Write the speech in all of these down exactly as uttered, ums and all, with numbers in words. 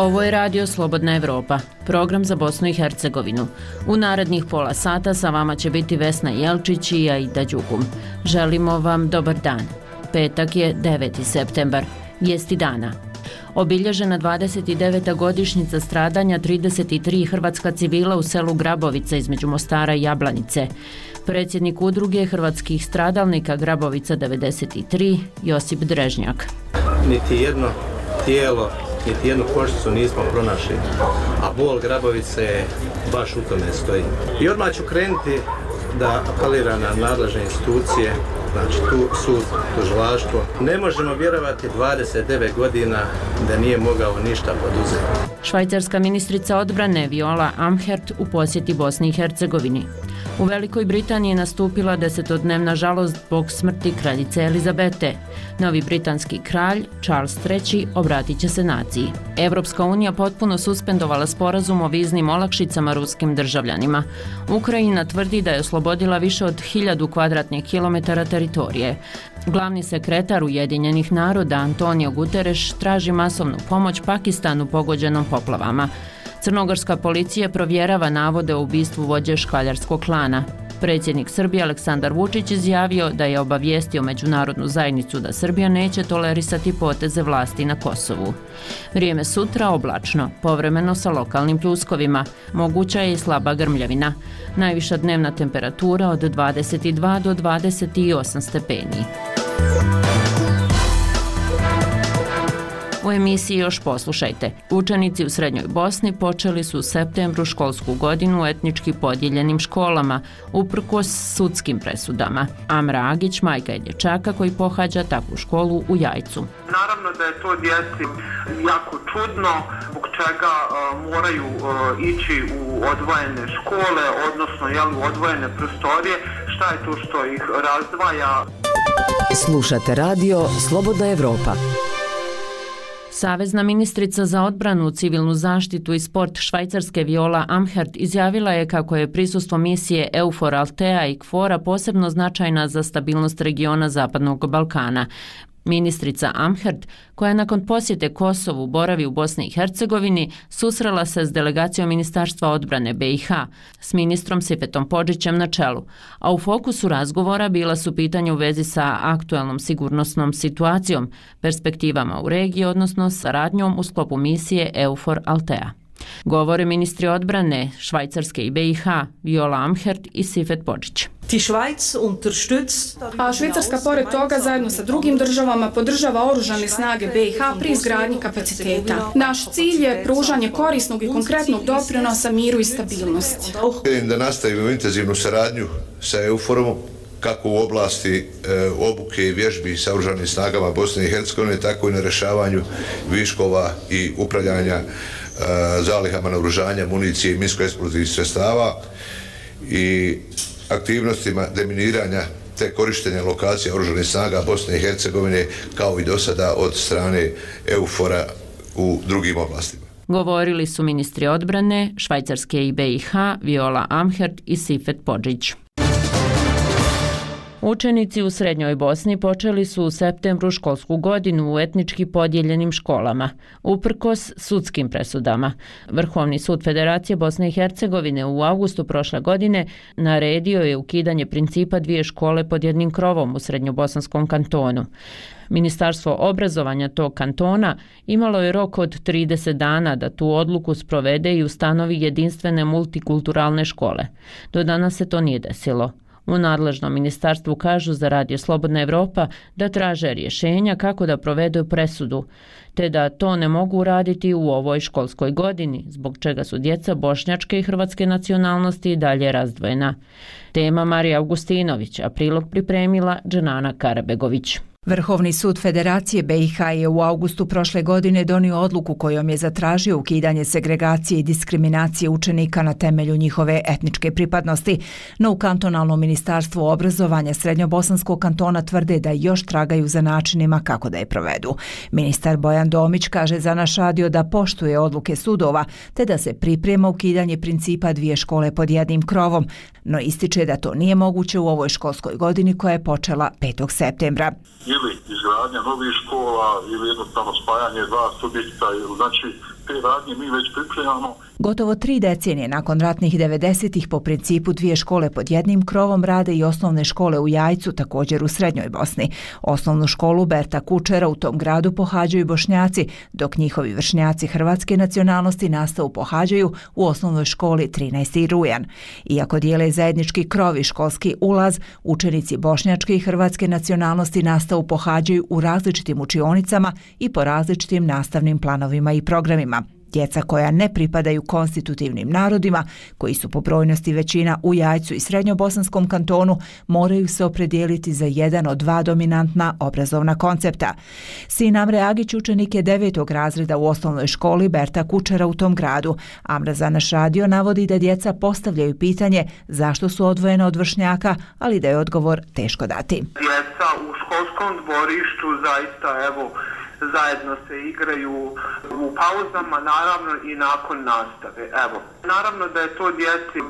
Ovo je Radio Slobodna Evropa, program za Bosnu i Hercegovinu. U narednih pola sata sa vama će biti Vesna Jelčić i Aida Đugum. Želimo vam dobar dan. Petak je deveti septembar, vijesti dana. Obilježena dvadeset deveta godišnjica stradanja trideset tri hrvatska civila u selu Grabovica između Mostara i Jablanice. Predsjednik udruge hrvatskih stradalnika Grabovica devedeset tri, Josip Drežnjak. Niti jedno tijelo, niti jednu koščicu nismo pronašli, a bol Grabovice baš u tome stoji. I odmah ću krenuti da apeliram na nadležne institucije, znači tu sud, tužilaštvo. Ne možemo vjerovati dvadeset devet godina da nije mogao ništa poduzeti. Švajcarska ministrica odbrane Viola Amherd u posjeti Bosni i Hercegovini. U Velikoj Britaniji je nastupila desetodnevna žalost zbog smrti kraljice Elizabete. Novi britanski kralj, Charles treći, obratit će se naciji. Evropska unija potpuno suspendovala sporazum o viznim olakšicama ruskim državljanima. Ukrajina tvrdi da je oslobodila više od hiljadu kvadratnih kilometara teritorije. Glavni sekretar Ujedinjenih naroda Antonio Guterres traži masovnu pomoć Pakistanu pogođenom poplavama. Crnogorska policija provjerava navode o ubistvu vođe škaljarskog klana. Predsjednik Srbije Aleksandar Vučić izjavio da je obavijestio međunarodnu zajednicu da Srbija neće tolerisati poteze vlasti na Kosovu. Vrijeme sutra oblačno, povremeno sa lokalnim pljuskovima. Moguća je i slaba grmljavina. Najviša dnevna temperatura od dvadeset dva do dvadeset osam stepeni. U emisiji još poslušajte. Učenici u Srednjoj Bosni počeli su u septembru školsku godinu u etnički podijeljenim školama, uprkos sudskim presudama. Amra Agić, majka je dječaka koji pohađa takvu školu u Jajcu. Naravno da je to djeci jako čudno, zbog čega uh, moraju uh, ići u odvojene škole, odnosno jel, u odvojene prostorije. Šta je to što ih razdvaja? Slušate radio Slobodna Evropa. Savezna ministrica za odbranu, civilnu zaštitu i sport Švajcarske Viola Amherd izjavila je kako je prisustvo misije EUFOR Altea i KFOR-a posebno značajna za stabilnost regiona Zapadnog Balkana. Ministrica Amherd, koja nakon posjete Kosovu boravi u Bosni i Hercegovini, susrela se s delegacijom Ministarstva odbrane B i H, s ministrom Sifetom Podžićem na čelu, a u fokusu razgovora bila su pitanja u vezi sa aktualnom sigurnosnom situacijom, perspektivama u regiji, odnosno saradnjom u sklopu misije EUFOR Altea. Govore ministri odbrane Švajcarske i B i H, Viola Amherd i Sifet Podžić. A Švicarska pored toga zajedno sa drugim državama podržava oružane snage B i H pri izgradnji kapaciteta. Naš cilj je pružanje korisnog i konkretnog doprinosa miru i stabilnosti. Da nastavimo intenzivnu saradnju sa EUFOR-om kako u oblasti e, obuke i vježbi sa oružanim snagama Bosne i Hercegovine, tako i na rješavanju viškova i upravljanja e, zalihama naoružanja, municije i minsko-eksplozivnih sredstava i aktivnostima deminiranja te korištenja lokacija oružanih snaga Bosne i Hercegovine kao i do sada od strane EUFOR-a u drugim oblastima. Govorili su ministri odbrane Švajcarske i B i H, Viola Amherd i Sifet Podžić. Učenici u Srednjoj Bosni počeli su u septembru školsku godinu u etnički podijeljenim školama, uprkos sudskim presudama. Vrhovni sud Federacije Bosne i Hercegovine u avgustu prošle godine naredio je ukidanje principa dvije škole pod jednim krovom u Srednjobosanskom kantonu. Ministarstvo obrazovanja tog kantona imalo je rok od trideset dana da tu odluku sprovede i ustanovi jedinstvene multikulturalne škole. Do danas se to nije desilo. U nadležnom ministarstvu kažu za Radio Slobodna Evropa da traže rješenja kako da provedu presudu, te da to ne mogu uraditi u ovoj školskoj godini, zbog čega su djeca bošnjačke i hrvatske nacionalnosti i dalje razdvojena. Tema Marija Augustinović, a prilog pripremila Dženana Karabegović. Vrhovni sud Federacije B i H je u avgustu prošle godine donio odluku kojom je zatražio ukidanje segregacije i diskriminacije učenika na temelju njihove etničke pripadnosti, no u kantonalnom ministarstvu obrazovanja Srednjobosanskog kantona tvrde da još tragaju za načinima kako da je provedu. Ministar Bojan Domić kaže za naš radio da poštuje odluke sudova, te da se priprema ukidanje principa dvije škole pod jednim krovom, no ističe da to nije moguće u ovoj školskoj godini koja je počela petog septembra. Ili izgradnja novih škola ili jednostavno spajanje dva subjekta, znači te radnje mi već pripremamo. Gotovo tri decenije nakon ratnih devedesetih po principu dvije škole pod jednim krovom rade i osnovne škole u Jajcu, također u Srednjoj Bosni. Osnovnu školu Berta Kučera u tom gradu pohađaju Bošnjaci, dok njihovi vršnjaci hrvatske nacionalnosti nastavu pohađaju u osnovnoj školi trinaesti rujan. Iako dijele zajednički krov i školski ulaz, učenici bošnjačke i hrvatske nacionalnosti nastavu pohađaju u različitim učionicama i po različitim nastavnim planovima i programima. Djeca koja ne pripadaju konstitutivnim narodima, koji su po brojnosti većina u Jajcu i Srednjobosanskom kantonu, moraju se opredijeliti za jedan od dva dominantna obrazovna koncepta. Sin Amre Agić učenik je devetog razreda u osnovnoj školi Berta Kučera u tom gradu. Amra za naš radio navodi da djeca postavljaju pitanje zašto su odvojena od vršnjaka, ali da je odgovor teško dati. Djeca u školskom dvorištu zaista, evo, zajedno se igraju u pauzama, naravno i nakon nastave. Evo, naravno da je to djeci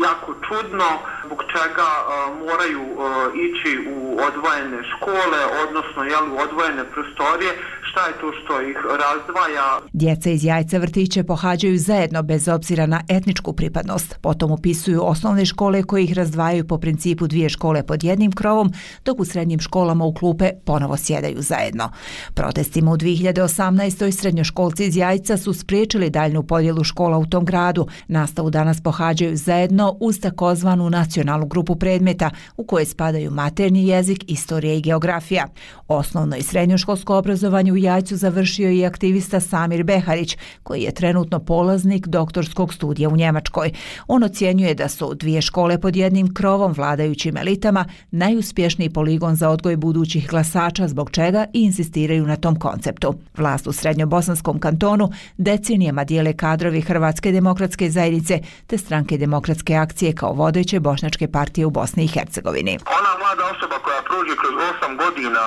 jako čudno, zbog čega uh, moraju uh, ići u odvojene škole, odnosno jel, u odvojene prostorije, šta je to što ih razdvaja. Djeca iz Jajca vrtiće pohađaju zajedno bez obzira na etničku pripadnost. Potom upisuju osnovne škole koje ih razdvajaju po principu dvije škole pod jednim krovom, dok u srednjim školama u klupe ponovo sjedaju zajedno. Protestima u dvije hiljade osamnaestoj srednjoškolci iz Jajca su spriječili daljnju podjelu škola u tom gradu. Nastavu danas pohađaju zajedno uz takozvanu nacionalnu grupu predmeta u koje spadaju maternji jezik, istorija i geografija. Osnovno i srednjoškolsko obrazovanje u Jajcu završio i aktivista Samir Beharić, koji je trenutno polaznik doktorskog studija u Njemačkoj. On ocjenjuje da su dvije škole pod jednim krovom vladajućim elitama najuspješniji poligon za odgoj budućih glasača, zbog čega i insistiraju na tom konceptu. Vlast u Srednjobosanskom kantonu decenijama dijele kadrovi Hrvatske demokratske zajednice te Stranke demokratske akcije kao vodeće bošnjačke partije u Bosni i Hercegovini. Ona mlada osoba koja prođe kroz osam godina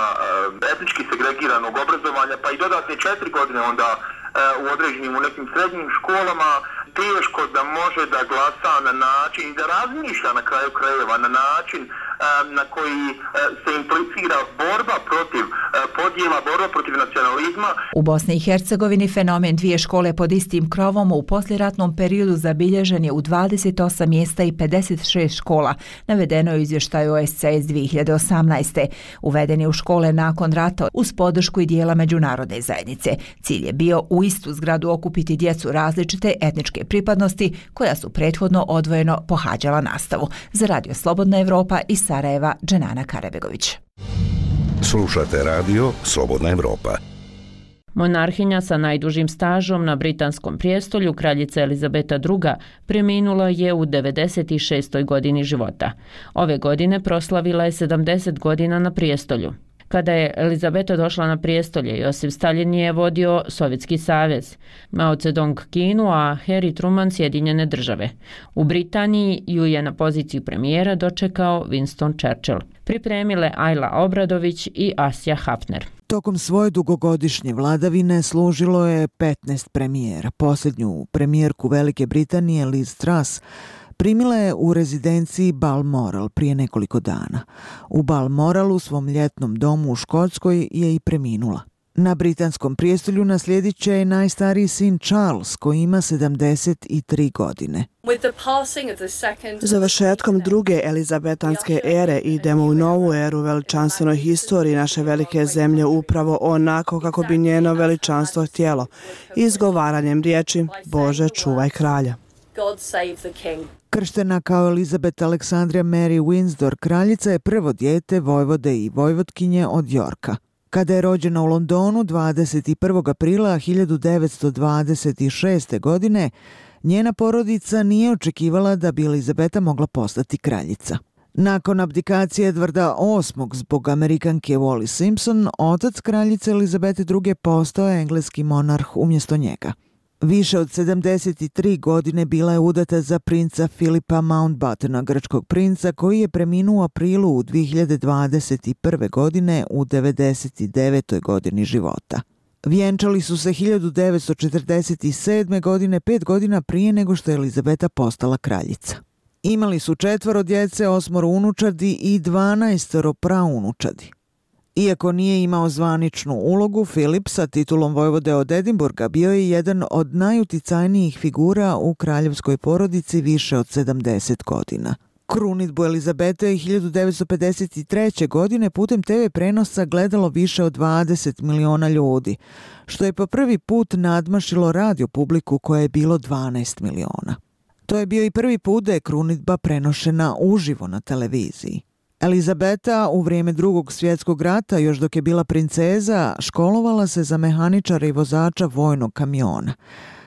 etnički segregiranog obrazovanja, pa i dodatne četiri godine onda u određenim, u nekim srednjim školama, teško da može da glasa na način i da razmišlja na kraju krajeva na način na koji se implicira borba protiv podjela, borba protiv nacionalizma. U Bosni i Hercegovini fenomen dvije škole pod istim krovom u poslijeratnom periodu zabilježen je u dvadeset osam mjesta i pedeset šest škola, navedeno je u izvještaju O S C E iz dvije hiljade osamnaeste. Uveden je u škole nakon rata uz podršku i dijela međunarodne zajednice. Cilj je bio u istu zgradu okupiti djecu različite etničke pripadnosti koja su prethodno odvojeno pohađala nastavu. Za Radio Slobodna Evropa iz Sarajeva, Dženana Karabegović. Slušate radio Slobodna Evropa. Monarhinja sa najdužim stažom na britanskom prijestolju, kraljica Elizabeta druga, preminula je u devedeset šestoj godini života. Ove godine proslavila je sedamdeset godina na prijestolju. Kada je Elizabeta došla na prijestolje, Josip Stalin je vodio Sovjetski savez, Mao Zedong Kinu, a Harry Truman Sjedinjene države. U Britaniji ju je na poziciju premijera dočekao Winston Churchill. Pripremile Ajla Obradović i Asja Hafner. Tokom svoje dugogodišnje vladavine služilo je petnaest premijera. Posljednju premijerku Velike Britanije, Liz Truss, primila je u rezidenciji Balmoral prije nekoliko dana. U Balmoralu, svom ljetnom domu u Škotskoj, je i preminula. Na britanskom prijestolju naslijedit će i najstariji sin Charles, koji ima sedamdeset tri godine. Završetkom druge elizabetanske ere idemo u novu eru veličanstvenoj historiji naše velike zemlje, upravo onako kako bi njeno veličanstvo htjelo, izgovaranjem riječi Bože, čuvaj kralja. God save the king. Krštena kao Elizabeth Alexandria Mary Windsor, kraljica je prvo dijete vojvode i vojvotkinje od Yorka. Kada je rođena u Londonu dvadeset prvog aprila hiljadu devetsto dvadeset šeste. godine, njena porodica nije očekivala da bi Elizabeta mogla postati kraljica. Nakon abdikacije Edvarda osmog zbog Amerikanke Wally Simpson, otac kraljice Elizabete druge postao je engleski monarh umjesto njega. Više od sedamdeset tri godine bila je udata za princa Filipa Mountbattena, grčkog princa koji je preminuo u aprilu u dvije hiljade dvadeset prve. godine u devedeset devetoj. godini života. Vjenčali su se hiljadu devetsto četrdeset sedme. godine, pet godina prije nego što je Elizabeta postala kraljica. Imali su četvoro djece, osmoro unučadi i dvanaestoro praunučadi. Iako nije imao zvaničnu ulogu, Filip sa titulom vojvode od Edinburga bio je jedan od najuticajnijih figura u kraljevskoj porodici više od sedamdeset godina. Krunidbu Elizabete je hiljadu devetsto pedeset treće. godine putem te ve prenosa gledalo više od dvadeset miliona ljudi, što je po prvi put nadmašilo radio publiku koje je bilo dvanaest miliona. To je bio i prvi put da je krunidba prenošena uživo na televiziji. Elizabeta u vrijeme drugog svjetskog rata, još dok je bila princeza, školovala se za mehaničara i vozača vojnog kamiona,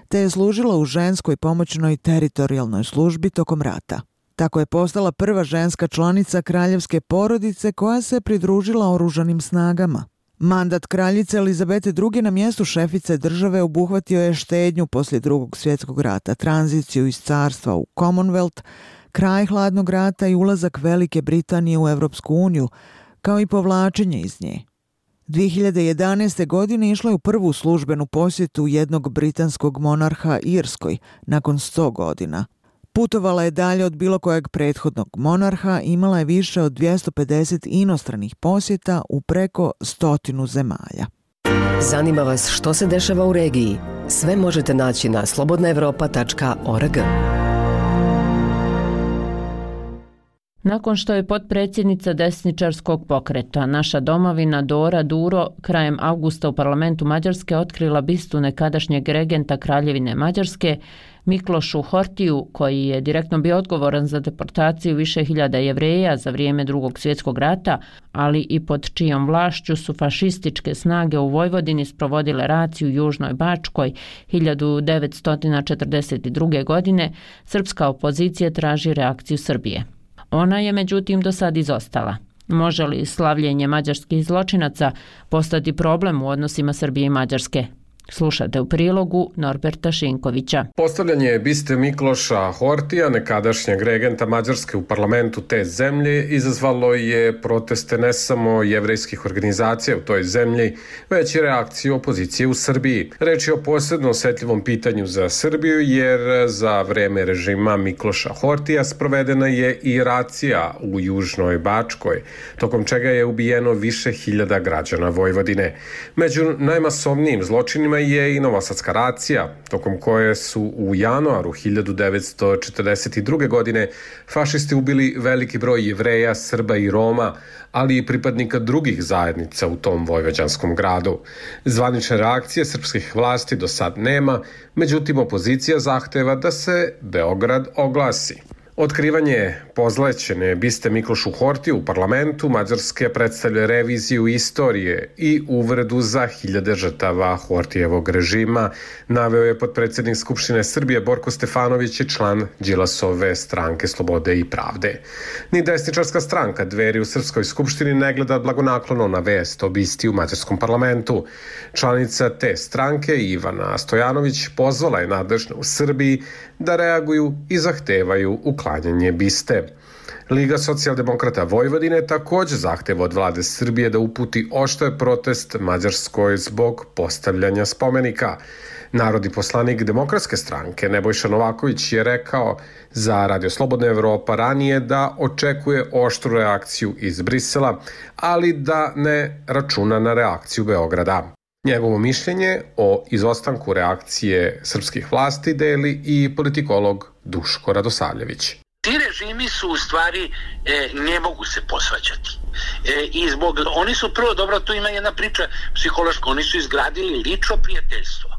te je služila u ženskoj pomoćnoj teritorijalnoj službi tokom rata. Tako je postala prva ženska članica kraljevske porodice koja se pridružila oružanim snagama. Mandat kraljice Elizabete druge. na mjestu šefice države obuhvatio je štednju poslije drugog svjetskog rata, tranziciju iz carstva u Commonwealth, kraj hladnog rata i ulazak Velike Britanije u Europsku uniju, kao i povlačenje iz nje. dvije hiljade jedanaeste. godine išla je u prvu službenu posjetu jednog britanskog monarha Irskoj nakon sto godina. Putovala je dalje od bilo kojeg prethodnog monarha, imala je više od dvjesto pedeset inostranih posjeta u preko stotinu zemalja. Zanima vas što se dešava u regiji? Sve možete naći na slobodna evropa tačka org. Nakon što je potpredsjednica desničarskog pokreta Naša domovina Dora Duro krajem avgusta u parlamentu Mađarske otkrila bistu nekadašnjeg regenta Kraljevine Mađarske Miklošu Hortiju, koji je direktno bio odgovoran za deportaciju više hiljada Jevreja za vrijeme drugog svjetskog rata, ali i pod čijom vlašću su fašističke snage u Vojvodini sprovodile raciju u Južnoj Bačkoj hiljadu devetsto četrdeset druge. godine, srpska opozicija traži reakciju Srbije. Ona je međutim do sad izostala. Može li slavljenje mađarskih zločinaca postati problem u odnosima Srbije i Mađarske? Slušate u prilogu Norberta Šinkovića. Postavljanje biste Mikloša Hortija, nekadašnjeg regenta Mađarske u parlamentu te zemlje, izazvalo je proteste ne samo jevrejskih organizacija u toj zemlji, već i reakciju opozicije u Srbiji. Reč je o posebno osjetljivom pitanju za Srbiju, jer za vreme režima Mikloša Hortija sprovedena je i racija u Južnoj Bačkoj, tokom čega je ubijeno više hiljada građana Vojvodine. Među najmasovnijim zločinima je i novosadska racija, tokom koje su u januaru hiljadu devetsto četrdeset druge. godine fašisti ubili veliki broj Jevreja, Srba i Roma, ali i pripadnika drugih zajednica u tom vojvođanskom gradu. Zvanične reakcije srpskih vlasti do sad nema, međutim opozicija zahteva da se Beograd oglasi. Otkrivanje pozlećene biste Miklošu Hortiju u parlamentu Mađarske predstavlja reviziju istorije i uvredu za hiljade žrtava Hortijevog režima, naveo je potpredsjednik Skupštine Srbije Borko Stefanović i član Đilasove stranke Slobode i pravde. Ni desničarska stranka Dveri u Srpskoj skupštini ne gleda blagonaklono na vest o bisti u mađarskom parlamentu. Članica te stranke Ivana Stojanović pozvala je nadležne u Srbiji da reaguju i zahtevaju uklanjanje biste. Liga socijaldemokrata Vojvodine također zahteva od vlade Srbije da uputi oštar protest Mađarskoj zbog postavljanja spomenika. Narodni poslanik Demokratske stranke Nebojša Novaković je rekao za Radio Slobodna Evropa ranije da očekuje oštru reakciju iz Brisela, ali da ne računa na reakciju Beograda. Njegovo mišljenje o izostanku reakcije srpskih vlasti deli i politikolog Duško Radosavljević. Ti režimi su u stvari e, ne mogu se posvađati. E, I zbog, oni su prvo, dobro, tu ima jedna priča psihološka, oni su izgradili lično prijateljstvo.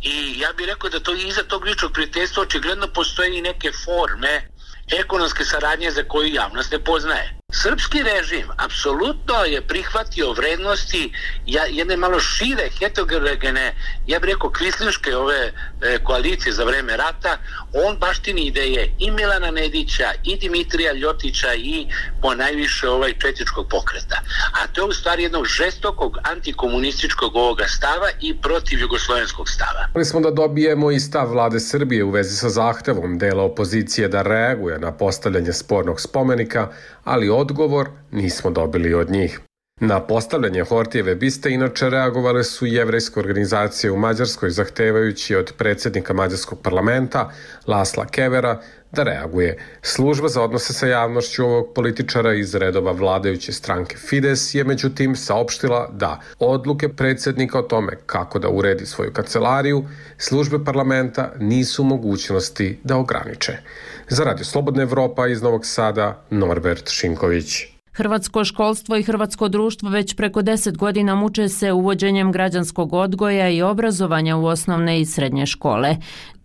I ja bih rekao da to iza tog ličnog prijateljstva očigledno postoje i neke forme ekonomske saradnje za koju javnost ne poznaje. Srpski režim apsolutno je prihvatio vrednosti jedne malo šire, heterogene, ja bih rekao kvislinške ove e, koalicije za vreme rata. On baštini ideje i Milana Nedića, i Dimitrija Ljotića, i po najviše ovaj četničkog pokreta. A to je u stvari jednog žestokog antikomunističkog ovoga stava i protiv jugoslovenskog stava. Ali smo da dobijemo i stav vlade Srbije u vezi sa zahtevom dela opozicije da reaguje na postavljanje spornog spomenika, ali odgovor nismo dobili od njih. Na postavljanje Hortijeve biste inače reagovale su jevrejske organizacije u Mađarskoj, zahtevajući od predsjednika Mađarskog parlamenta Lasla Kevera da reaguje. Služba za odnose sa javnošću ovog političara iz redova vladajuće stranke Fides je međutim saopštila da odluke predsjednika o tome kako da uredi svoju kancelariju službe parlamenta nisu u mogućnosti da ograniče. Za Radio Slobodna Evropa iz Novog Sada, Norbert Šinković. Hrvatsko školstvo i hrvatsko društvo već preko deset godina muče se uvođenjem građanskog odgoja i obrazovanja u osnovne i srednje škole.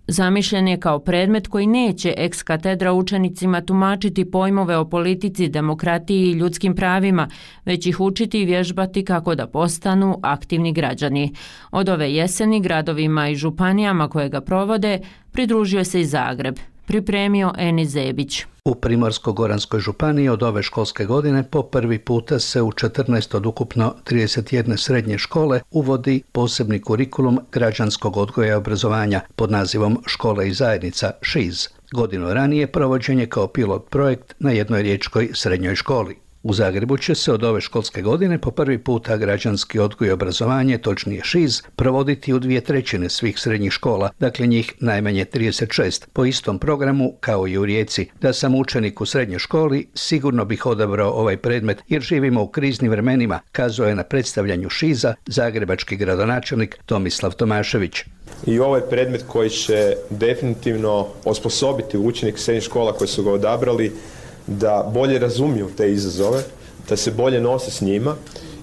Zamišljen je kao predmet koji neće ex katedra učenicima tumačiti pojmove o politici, demokratiji i ljudskim pravima, već ih učiti i vježbati kako da postanu aktivni građani. Od ove jeseni gradovima i županijama koje ga provode pridružio se i Zagreb. Pripremio Eni Zebić. U Primorsko-goranskoj županiji od ove školske godine po prvi puta se u četrnaest od ukupno trideset jedne srednje škole uvodi posebni kurikulum građanskog odgoja i obrazovanja pod nazivom Škole i zajednica ŠIZ. Godinu ranije provođen je kao pilot projekt na jednoj riječkoj srednjoj školi. U Zagrebu će se od ove školske godine po prvi puta građanski odgoj i obrazovanje, točnije ŠIZ, provoditi u dvije trećine svih srednjih škola, dakle njih najmanje trideset šest, po istom programu kao i u Rijeci. Da sam učenik u srednjoj školi, sigurno bih odabrao ovaj predmet jer živimo u kriznim vremenima, kazao je na predstavljanju ŠIZ-a zagrebački gradonačelnik Tomislav Tomašević. I ovo je predmet koji će definitivno osposobiti učenik srednjih škola koji su ga odabrali da bolje razumiju te izazove, da se bolje nose s njima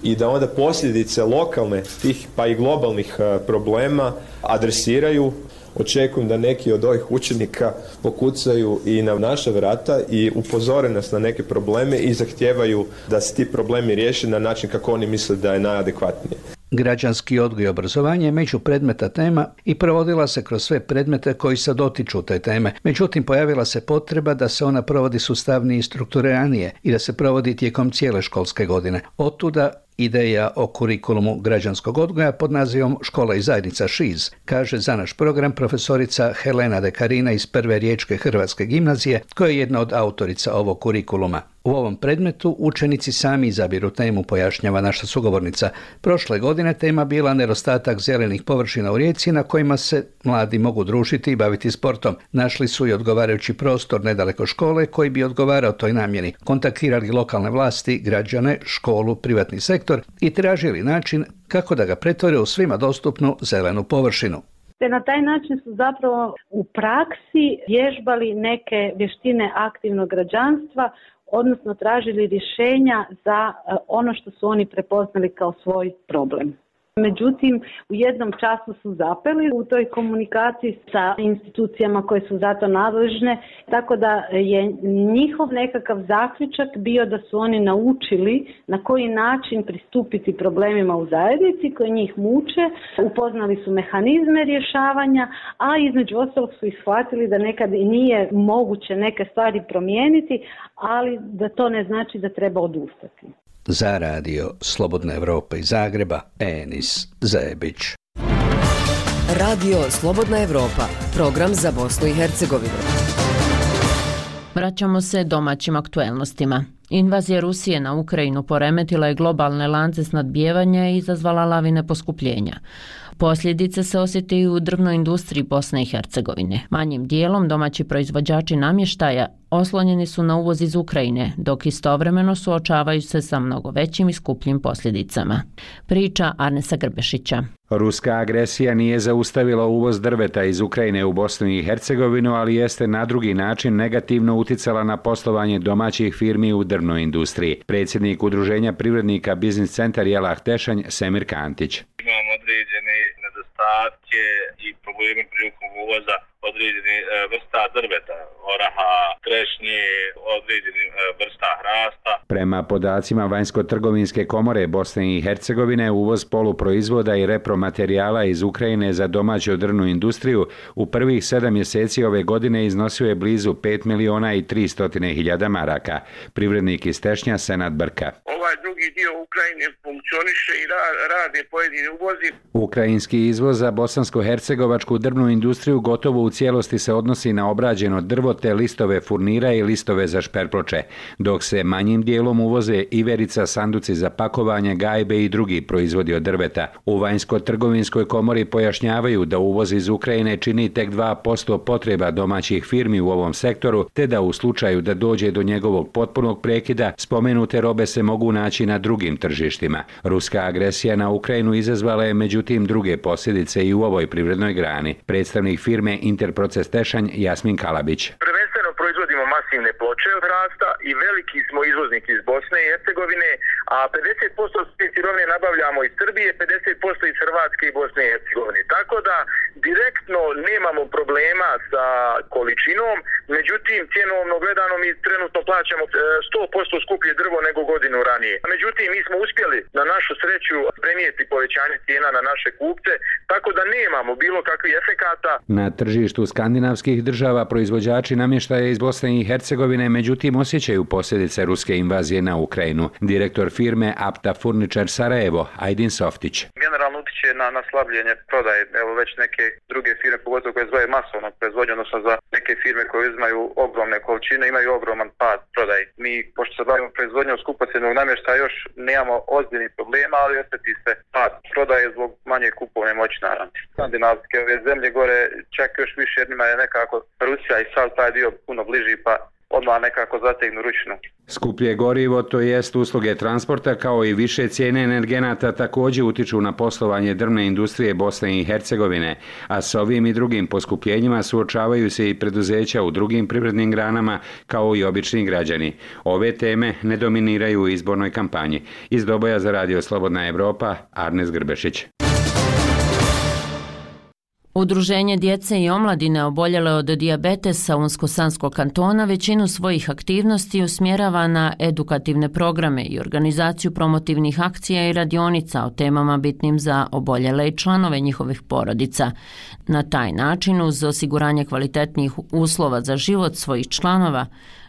i da onda posljedice lokalne tih pa i globalnih problema adresiraju. Očekujem da neki od ovih učenika pokucaju i na naša vrata i upozore nas na neke probleme i zahtijevaju da se ti problemi riješe na način kako oni misle da je najadekvatnije. Građanski odgoj i obrazovanje je među predmeta tema i provodila se kroz sve predmete koji se dotiču te teme. Međutim, pojavila se potreba da se ona provodi sustavnije i strukturiranije i da se provodi tijekom cijele školske godine. Otuda ideja o kurikulumu građanskog odgoja pod nazivom Škola i zajednica ŠIZ, kaže za naš program profesorica Helena Dekarina iz Prve riječke hrvatske gimnazije, koja je jedna od autorica ovog kurikuluma. U ovom predmetu učenici sami izabiru temu, pojašnjava naša sugovornica. Prošle godine tema bila nedostatak zelenih površina u Rijeci na kojima se mladi mogu družiti i baviti sportom. Našli su i odgovarajući prostor nedaleko škole koji bi odgovarao toj namjeni. Kontaktirali lokalne vlasti, građane, školu, privatni sektor i tražili način kako da ga pretvore u svima dostupnu zelenu površinu. Te na taj način su zapravo u praksi vježbali neke vještine aktivnog građanstva, odnosno tražili rješenja za ono što su oni prepoznali kao svoj problem. Međutim, u jednom času su zapeli u toj komunikaciji sa institucijama koje su za to nadležne, tako da je njihov nekakav zaključak bio da su oni naučili na koji način pristupiti problemima u zajednici koji njih muče, upoznali su mehanizme rješavanja, a između ostalog su ishvatili da nekad i nije moguće neke stvari promijeniti, ali da to ne znači da treba odustati. Za radio Slobodna Evropa iz Zagreba, Enis Zebić. Radio Slobodna Evropa, program za Bosnu i Hercegovinu. Vraćamo se domaćim aktuelnostima. Invazija Rusije na Ukrajinu poremetila je globalne lance snadbijevanja i izazvala lavine poskupljenja. Posljedice se osjete i u drvnoj industriji Bosne i Hercegovine. Manjim dijelom domaći proizvođači namještaja oslonjeni su na uvoz iz Ukrajine, dok istovremeno suočavaju se sa mnogo većim i skupljim posljedicama. Priča Arnesa Grbešića. Ruska agresija nije zaustavila uvoz drveta iz Ukrajine u Bosnu i Hercegovinu, ali jeste na drugi način negativno uticala na poslovanje domaćih firmi u drvnoj industriji. Predsjednik Udruženja privrednika Biznis centar Jelah Tešanj Semir Kantić. Imamo određene nedostatke i probleme prilikom uvoza određene vrsta drveta, oraha, trešnje, određene vrsta hrasta. Prema podacima Vanjsko-trgovinske komore Bosne i Hercegovine, uvoz poluproizvoda i repromaterijala iz Ukrajine za domaću drvnu industriju u prvih sedam mjeseci ove godine iznosio je blizu pet miliona i tristotine hiljada maraka. Privrednik iz Tešnja Senad Brka. Ovaj drugi dio Ukrajine funkcioniše i rade pojedini uvozi. Ukrajinski izvoz za bosansko bosansko-hercegovačku drvnu industriju gotovo u cijelosti se odnosi na obrađeno drvo te listove furnira i listove za šperploče, dok se manjim dijelom uvoze iverica, sanduci za pakovanje, gajbe i drugi proizvodi od drveta. U vanjsko-trgovinskoj komori pojašnjavaju da uvoz iz Ukrajine čini tek dva posto potreba domaćih firmi u ovom sektoru, te da u slučaju da dođe do njegovog potpunog prekida, spomenute robe se mogu naći na drugim tržištima. Ruska agresija na Ukrajinu izazvala je međutim druge posljedice i u ovoj privrednoj grani. Predstavnik firme Interproces Tešanj Jasmin Kalabić. Proizvodimo masivne ploče od hrasta i veliki smo izvoznik iz Bosne i Hercegovine, a pedeset posto sirovine nabavljamo iz Srbije, pedeset posto iz Hrvatske i Bosne i Hercegovine. Tako da direktno nemamo problema sa količinom, međutim cjenovno gledano mi trenutno plaćamo sto posto skuplje drvo nego godinu ranije. Međutim mi smo uspjeli na našu sreću premijeti povećanje cijena na naše kupce, tako da nemamo bilo kakvih efekata. Na tržištu skandinavskih država proizvođači namještaja iz Bosne i Hercegovine međutim osjećaju posljedice ruske invazije na Ukrajinu. Direktor firme Apta Furniture Sarajevo, Ajdin Softić. Generalno utiče na, na slabljenje prodaje. Evo već neke druge firme, pogotovo koje zvoje masovno proizvodnju, odnosno za neke firme koje uzimaju ogromne količine, imaju ogroman pad prodaje. Mi, pošto se bavimo proizvodnjom skupocjenog namještaja, još nemamo ozbiljnih problema, ali osjeti se pad prodaje zbog manje kupovne moći naravno. Skandinavske ove zemlje gore čak još više, jer njima je nekako Rusija i sav taj dio puno bliži, pa odmah nekako zategnu ručnu. Skuplje gorivo, to jest usluge transporta, kao i više cijene energenata također utiču na poslovanje drvne industrije Bosne i Hercegovine, a s ovim i drugim poskupljenjima suočavaju se i preduzeća u drugim privrednim granama, kao i obični građani. Ove teme ne dominiraju u izbornoj kampanji. Iz Doboja za Radio Slobodna Evropa, Arnes Grbešić. Udruženje djece i omladine oboljele od dijabetesa Unsko-Sanskog kantona većinu svojih aktivnosti usmjerava na edukativne programe i organizaciju promotivnih akcija i radionica o temama bitnim za oboljele i članove njihovih porodica. Na taj način, uz osiguranje kvalitetnijih uslova za život svojih članova,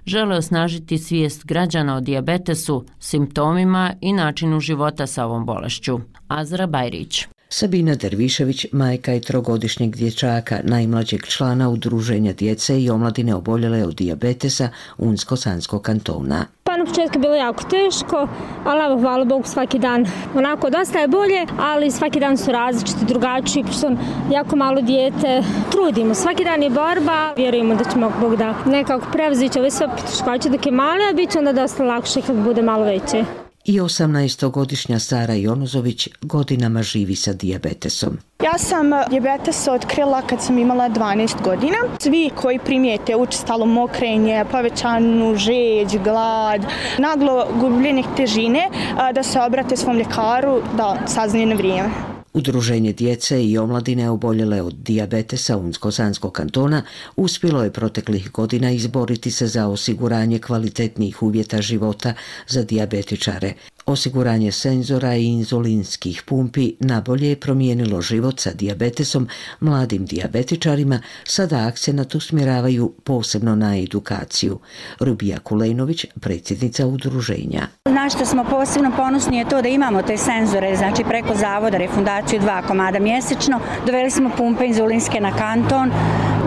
žele osnažiti svijest građana o dijabetesu, simptomima i načinu života sa ovom bolešću. Azra Bajrić. Sabina Dervišević, majka i trogodišnjeg dječaka, najmlađeg člana Udruženja djece i omladine oboljele od dijabetesa Unsko-Sanskog kantona. Pa na početku je bilo jako teško, ali evo, hvala Bogu, svaki dan onako dosta je bolje, ali svaki dan su različiti, drugačiji, pošto sam jako malo dijete. Trudimo, svaki dan je borba, vjerujemo da ćemo Bog da nekako prevozići ove sve poteškoće dok je male, a bit će onda dosta lakše kad bude malo veće. I osamnaestogodišnja Sara Jonozović godinama živi sa dijabetesom. Ja sam dijabetes otkrila kad sam imala dvanaest godina. Svi koji primijete učestalo mokrenje, povećanu žeđ, glad, naglo gubljenje težine, da se obrate svom ljekaru da saznaju na vrijeme. Udruženje djece i omladine oboljele od dijabetesa Unsko-Sanskog kantona uspjelo je proteklih godina izboriti se za osiguranje kvalitetnijih uvjeta života za dijabetičare. Osiguranje senzora i inzulinskih pumpi nabolje je promijenilo život sa dijabetesom mladim dijabetičarima, sada akcenat usmjeravaju posebno na edukaciju. Rubija Kulejnović, predsjednica udruženja. Na što smo posebno ponosni je to da imamo te senzore, znači preko zavoda refundaciju dva komada mjesečno. Doveli smo pumpe inzulinske na kanton.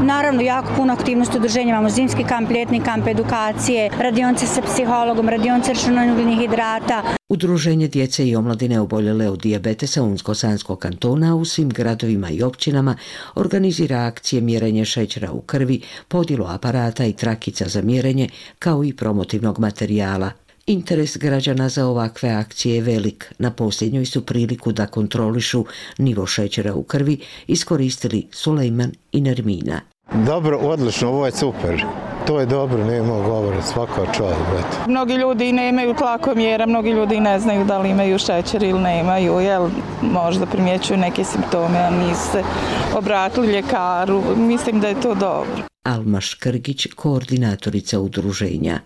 Naravno, jako puno aktivnosti udruženja, imamo zimski kamp, ljetni kamp, edukacije, radionce sa psihologom, radionce računalnih hidrata. Udruženje djece i omladine oboljele od dijabetesa Unsko-Sanskog kantona u svim gradovima i općinama organizira akcije mjerenja šećera u krvi, podjelu aparata i trakica za mjerenje, kao i promotivnog materijala. Interes građana za ovakve akcije je velik. Na posljednjoj su priliku da kontrolišu nivo šećera u krvi iskoristili Sulejman i Nermina. Dobro, odlično, ovo je super. To je dobro, nema govora, svaka čast. Mnogi ljudi nemaju tlakomjera, mnogi ljudi ne znaju da li imaju šećer ili nemaju, jel možda primjećuju neke simptome, a nisu se obratili ljekaru. Mislim da je to dobro. Alma Škrgić, koordinatorica udruženja.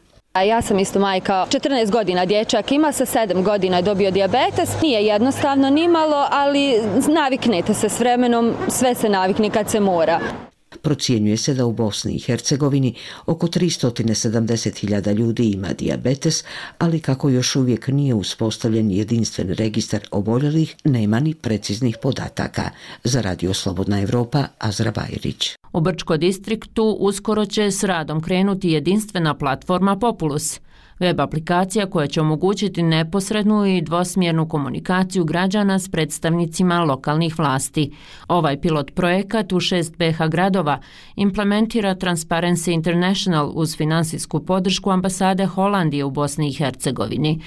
Ja sam isto majka, četrnaest godina dječak ima, sa sedam godina je dobio dijabetes. Nije jednostavno nimalo, ali naviknete se s vremenom, sve se navikne kad se mora. Procjenjuje se da u Bosni i Hercegovini oko tristo sedamdeset hiljada ljudi ima dijabetes, ali kako još uvijek nije uspostavljen jedinstven registar oboljelih, nema ni preciznih podataka. Za Radio Slobodna Evropa, Azra Bajrić. U Brčko distriktu uskoro će s radom krenuti jedinstvena platforma Populus, web aplikacija koja će omogućiti neposrednu i dvosmjernu komunikaciju građana s predstavnicima lokalnih vlasti. Ovaj pilot projekat u šest B H gradova implementira Transparency International uz finansijsku podršku ambasade Holandije u Bosni i Hercegovini.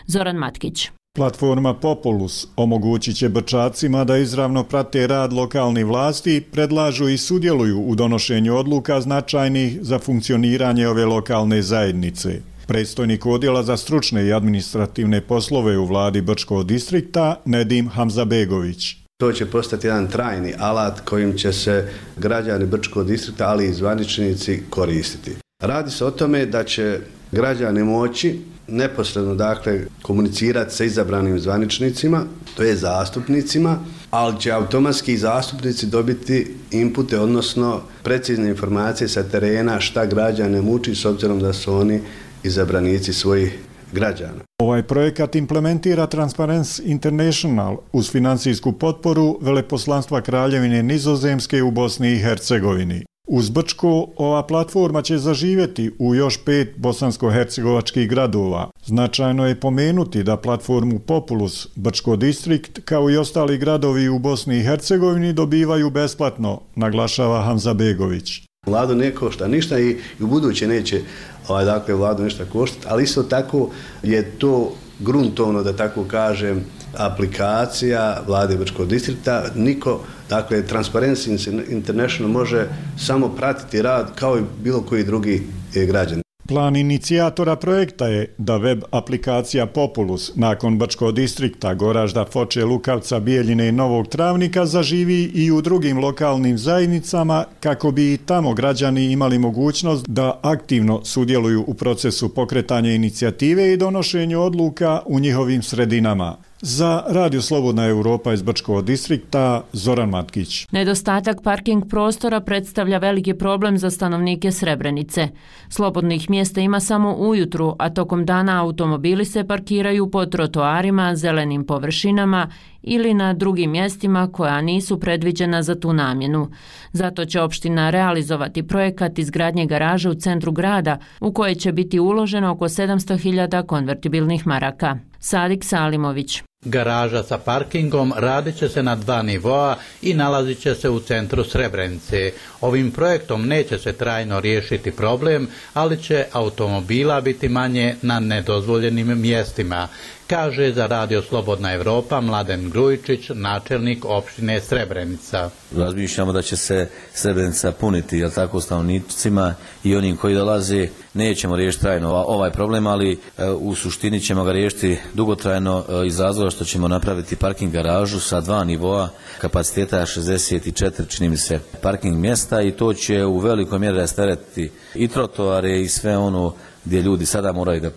Zoran Matkić. Platforma Populus omogućit će Brčacima da izravno prate rad lokalnih vlasti, predlažu i sudjeluju u donošenju odluka značajnih za funkcioniranje ove lokalne zajednice. Predstojnik odjela za stručne i administrativne poslove u vladi Brčkog distrikta Nedim Hamzabegović. To će postati jedan trajni alat kojim će se građani Brčkog distrikta, ali i zvaničnici koristiti. Radi se o tome da će građani moći neposredno dakle komunicirati sa izabranim zvaničnicima, to je zastupnicima, ali će automatski zastupnici dobiti inpute, odnosno precizne informacije sa terena šta građane muči s obzirom da su oni izabranici svojih građana. Ovaj projekat implementira Transparency International uz financijsku potporu Veleposlanstva Kraljevine Nizozemske u Bosni i Hercegovini. Uz Brčko ova platforma će zaživjeti u još pet bosansko-hercegovačkih gradova. Značajno je pomenuti da platformu Populus Brčko distrikt kao i ostali gradovi u Bosni i Hercegovini dobivaju besplatno, naglašava Hamzabegović. Vladu ne košta ništa i u buduće neće ovaj, dakle, vladu ništa koštati, ali isto tako je to gruntovno, da tako kažem, aplikacija vlade Brčkog distrikta. Niko, dakle, Transparency International može samo pratiti rad kao i bilo koji drugi građani. Plan inicijatora projekta je da web aplikacija Populus nakon Brčkog distrikta, Goražda, Foče, Lukavca, Bijeljine i Novog Travnika zaživi i u drugim lokalnim zajednicama kako bi i tamo građani imali mogućnost da aktivno sudjeluju u procesu pokretanja inicijative i donošenju odluka u njihovim sredinama. Za Radio Slobodna Evropa iz Brčkog distrikta, Zoran Matkić. Nedostatak parking prostora predstavlja veliki problem za stanovnike Srebrenice. Slobodnih mjesta ima samo ujutru, a tokom dana automobili se parkiraju po trotoarima, zelenim površinama ili na drugim mjestima koja nisu predviđena za tu namjenu. Zato će opština realizovati projekat izgradnje garaže u centru grada u koje će biti uloženo oko sedamsto hiljada konvertibilnih maraka. Sadik Salimović. Garaža sa parkingom radit će se na dva nivoa i nalazit će se u centru Srebrenice. Ovim projektom neće se trajno riješiti problem, ali će automobila biti manje na nedozvoljenim mjestima, kaže za Radio Slobodna Evropa Mladen Grujičić, načelnik opštine Srebrenica. Razmišljamo da će se Srebrenica puniti, jel tako, stanovnicima i onim koji dolaze. Nećemo riješiti trajno ovaj problem, ali u suštini ćemo ga riješiti dugotrajno iz razloga što ćemo napraviti parking garažu sa dva nivoa kapaciteta šezdeset četiri, čini mi se, parking mjesta i to će u velikoj mjeri rasteretiti i trotoare i sve ono gdje ljudi sada moraju da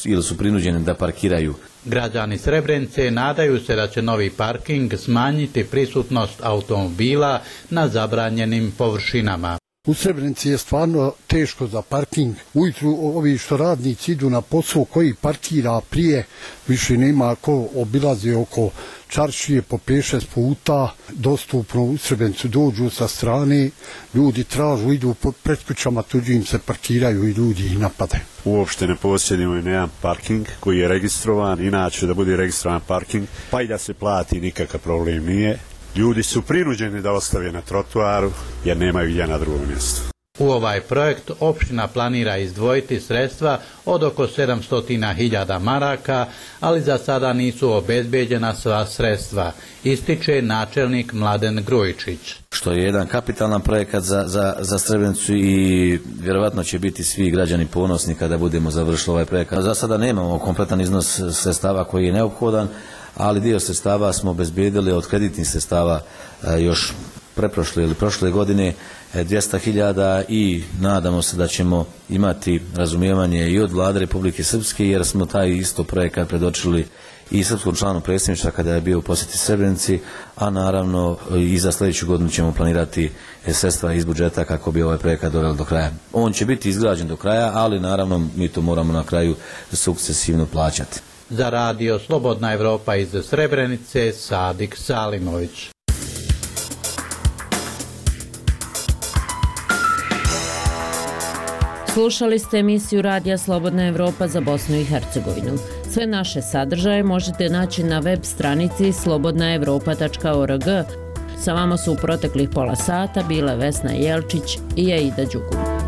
ili su prinuđeni da parkiraju. Građani Srebrenice nadaju se da će novi parking smanjiti prisutnost automobila na zabranjenim površinama. U Srebrenici je stvarno teško za parking. Ujutru ovi što radnici idu na posao, koji parkira prije, više nema ko obilazi oko čaršije po pet šest puta, dostupno u Srebrenicu dođu sa strane, ljudi tražu, idu pred kućama, tuđi im se parkiraju i ljudi ih napadaju. Uopšte ne posjedimo i jedan parking koji je registrovan, inače da bude registrovan parking, pa i da se plati nikakav problem nije. Ljudi su prinuđeni da ostave na trotoaru jer nemaju gdje na drugom mjestu. U ovaj projekt opština planira izdvojiti sredstva od oko sedamsto hiljada maraka, ali za sada nisu obezbeđena sva sredstva, ističe načelnik Mladen Grujičić. Što je jedan kapitalan projekat za, za, za Srebrenicu i vjerovatno će biti svi građani ponosni kada budemo završili ovaj projekat. Za sada nemamo kompletan iznos sredstava koji je neophodan, ali dio sredstava smo obezbedili od kreditnih sredstava još preprošle ili prošle godine dvjesto hiljada i nadamo se da ćemo imati razumijevanje i od Vlade Republike Srpske, jer smo taj isto projekat predočili i srpskom članu predsjedništva kada je bio u posjeti Srebrenici, a naravno i za sljedeću godinu ćemo planirati sredstva iz budžeta kako bi ovaj projekat doveli do kraja. On će biti izgrađen do kraja, ali naravno mi to moramo na kraju sukcesivno plaćati. Za radio Slobodna Evropa iz Srebrenice, Sadik Salimović. Slušali ste emisiju Radija Slobodna Evropa za Bosnu i Hercegovinu. Sve naše sadržaje možete naći na web stranici slobodna evropa tačka org. Sa vama su u proteklih pola sata bile Vesna Jelčić i Aida Đugum.